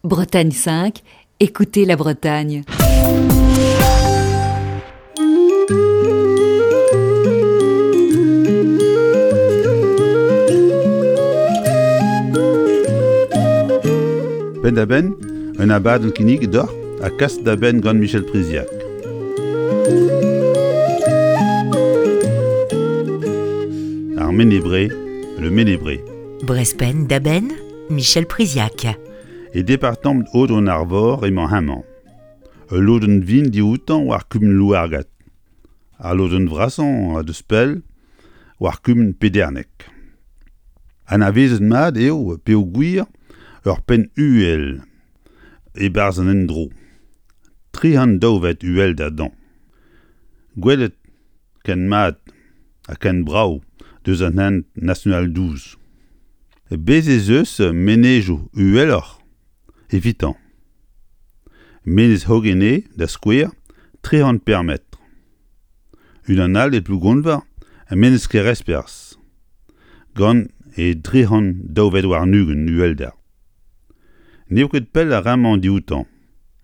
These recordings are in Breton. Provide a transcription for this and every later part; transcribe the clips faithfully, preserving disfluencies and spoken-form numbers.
Bretagne cinq, écoutez la Bretagne. Penn-da-benn, un abadenn kinniget deoc'h ha kas da benn gant Michel Priziac. Ar Mene-Bre, le Mene-Bre. Brest Penn-da-Benn, Michel Priziac. E departamant Aodoù-an-Arvor emañ hemañ. Ul lodenn vihan dioutañ war kumun Louargad. Ar lodenn vrasañ a deus pell war kumun Pederneg. Anavezet mat eo peogwir ur penn uhel e-barzh an endro. Tri c'hant daou vet uhelder dezhañ. Gwelet ken mat ha ken brav deus an hent national douze. Bez' ez eus menezioù uheloc'h evitañ. Menez Hogene, da skouer, tri c'hant pemp metr. Unan all e Plougonver, Menez Keresperzh, gant e dri c'hant daou vet warn-ugent uhelder. N'eo ket pell ar re-mañ dioutañ,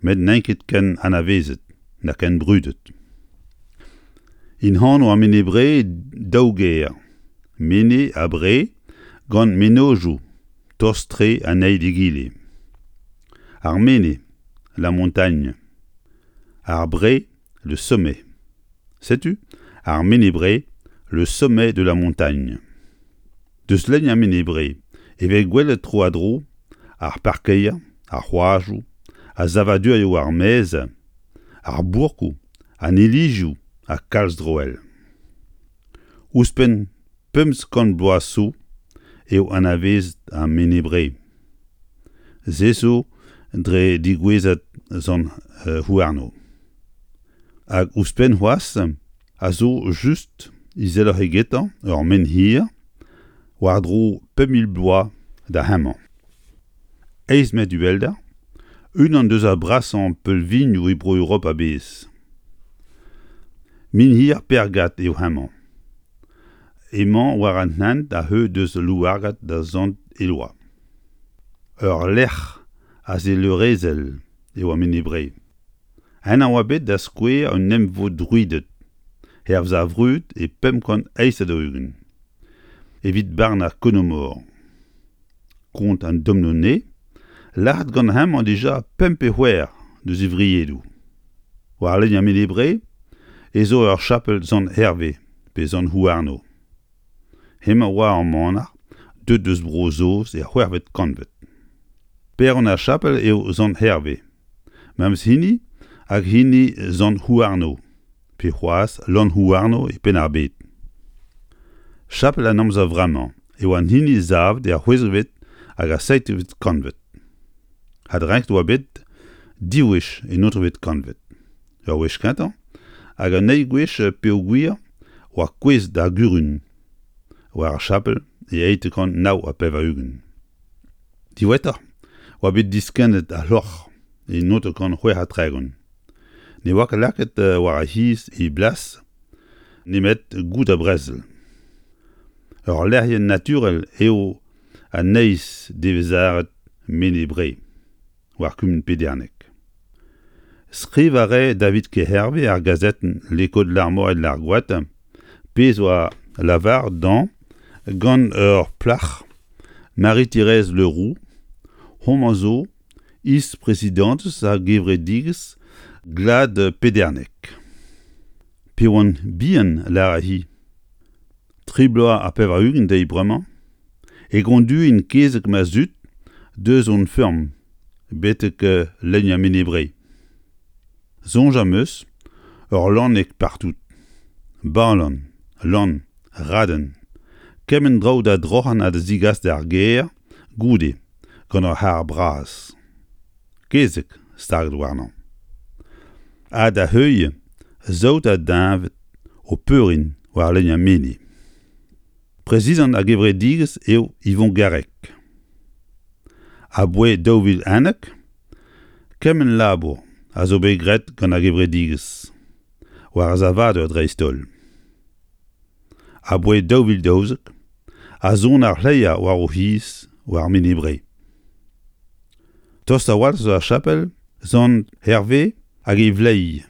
met n'int ket ken anavezet na ken brudet. En anv ar Mene-Bre daou ger, Mene ha Bre, gant mennozhioù tost-tre an eil d'egile. Ar Mene, la montagne. Ar Bre, le sommet. Setu ar Mene-Bre, le sommet de la montagne. Deus lein ar Mene-Bre e vez gwelet tro-ha-dro ar parkeier, ar c'hoajoù, ar savadurioù ar maez, ar bourkoù, an ilizioù ha kalz droell. Ouzhpenn pemzek kant bloaz zo eo anavezet ar Mene-Bre. Se zo dre degouezhad Sant Houarno. Hag ouzhpenn c'hoazh a zo just izeloc'h egetañ ur menhir war-dro pemp mil bloaz da hemañ. Eizh metr uhelder, unan deus ar brasañ peulvinioù e Bro-Europa a-bezh. Menhir Pergad eo hemañ. Emañ war an hent a-heu deus Louargad da Sant-Eloa. Ur lec'h azeulerezhel eo ar Mene-Bre. Ennañ oa bet da skouer un emvod druided, hervez ar vrud e pemp kant eizh ha daou-ugent, evit barnañ Konomor. Kont an Domnone, lazhet gant hemañ dija pemp pe c'hwec'h deus e vriedoù. War lein ar Mene-Bre ez zo ur chapel Sant-Herve pe Sant-Houarno. Hemañ oa ur manac'h deuet deus Bro-Saoz er c'hwec'hvet kantved. Paeron ar chapel eo Sant-Herve, memes hini hag hini Sant-Houarno, pe c'hoazh Lanhouarno e Penn-ar-Bed. Chapel an amzer vremañ eo an hini savet er c'hwezekvet hag ar seizhvet kantved. Adrenket oa bet div wech en naontekvet kantved. Ur wech kentañ hag an eil gwech peogwir oa kouezhet ar gurun war ar chapel e eizh kant nav ha pevar-ugent. Diwezhatoc'h oa bet diskennet ar c'hloc'h e naontek kant c'hwec'h ha tregont. Ne oa ket lakaet war ar c'hiz e blas nemet goude ar brezel. Ur lec'hienn naturel eo an eizh devezharet Mene-Bre, war kumun Pederneg. Skrivañ a rae David Kerherve ar gazetenn L'Écho de l'Armor et de l'Argoat, pezh oa lavaret dezhañ gant ur plac'h Marie-Thérèse Leroux, homañ zo is-prezidantez ar gevredigezh Glad Pederneg. Pe oan bihan, lâre-hi, tri bloaz ha pevar-ugent dezhi bremañ, e gonduin kezeg ma zud deus hon feurm betek lein ar Mene-Bre. Soñj am eus ur lanneg partout. Balan, lann, raden, kement draoù da droc'hañ ha da zegas d'ar gêr goude gant ur c'harr bras. Kezeg staget warnañ. Ha da heuilh saout ha deñved o peurin war lein ar Mene. Prezidant ar gevredigezh eo Yvon Garrec. Aboae daou vil unnek, kement labour a zo bet graet gant ar gevredigezh, war ar savadur dreist-holl. Aboae daou vil daouzek, a son ar c'hleier war o c'hiz war Mene-Bre. Tost a-walc'h zo ar chapel Sant Hervé hag e vleiz.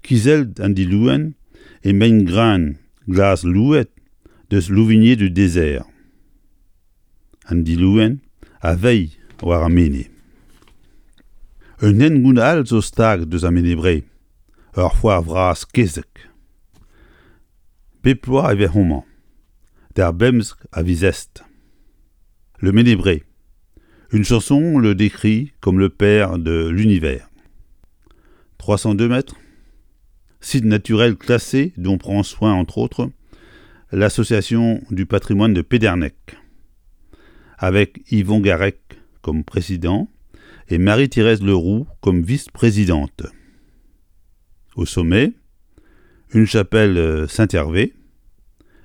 Kizellet an dilouenn e mein-gran glas louet deus Louvigné du désert. An dilouenn a veilh war ar mene. Un hengoun all zo stag deus ar Mene-Bre, ur foar vras kezeg. Bep bloaz e vez homañ, d'ar bemzek a viz Est. Le Méné-Bré. Une chanson le décrit comme le père de l'univers. trois cent deux mètres. Site naturel classé dont prend soin, entre autres, l'Association du patrimoine de Pédernec, avec Yvon Garec comme président et Marie-Thérèse Leroux comme vice-présidente. Au sommet, une chapelle Saint-Hervé,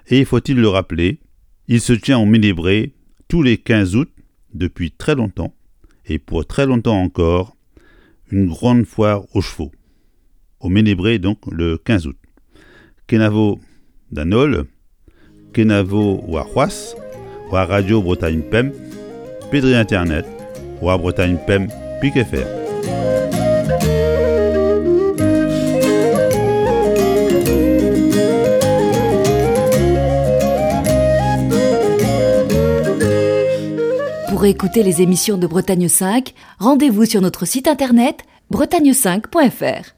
et faut-il le rappeler, il se tient au Méné-Bré tous les quinze août depuis très longtemps, et pour très longtemps encore, une grande foire aux chevaux. Au Méné-Bré, donc, le quinze août. Kenavo d'Anol, Kenavo war c'hoazh, war Radio Bretagne Pemp, Pedri Internet, war Bretagne Pemp, Pic F R. Pour écouter les émissions de Bretagne cinq, rendez-vous sur notre site internet bretagne cinq point F R.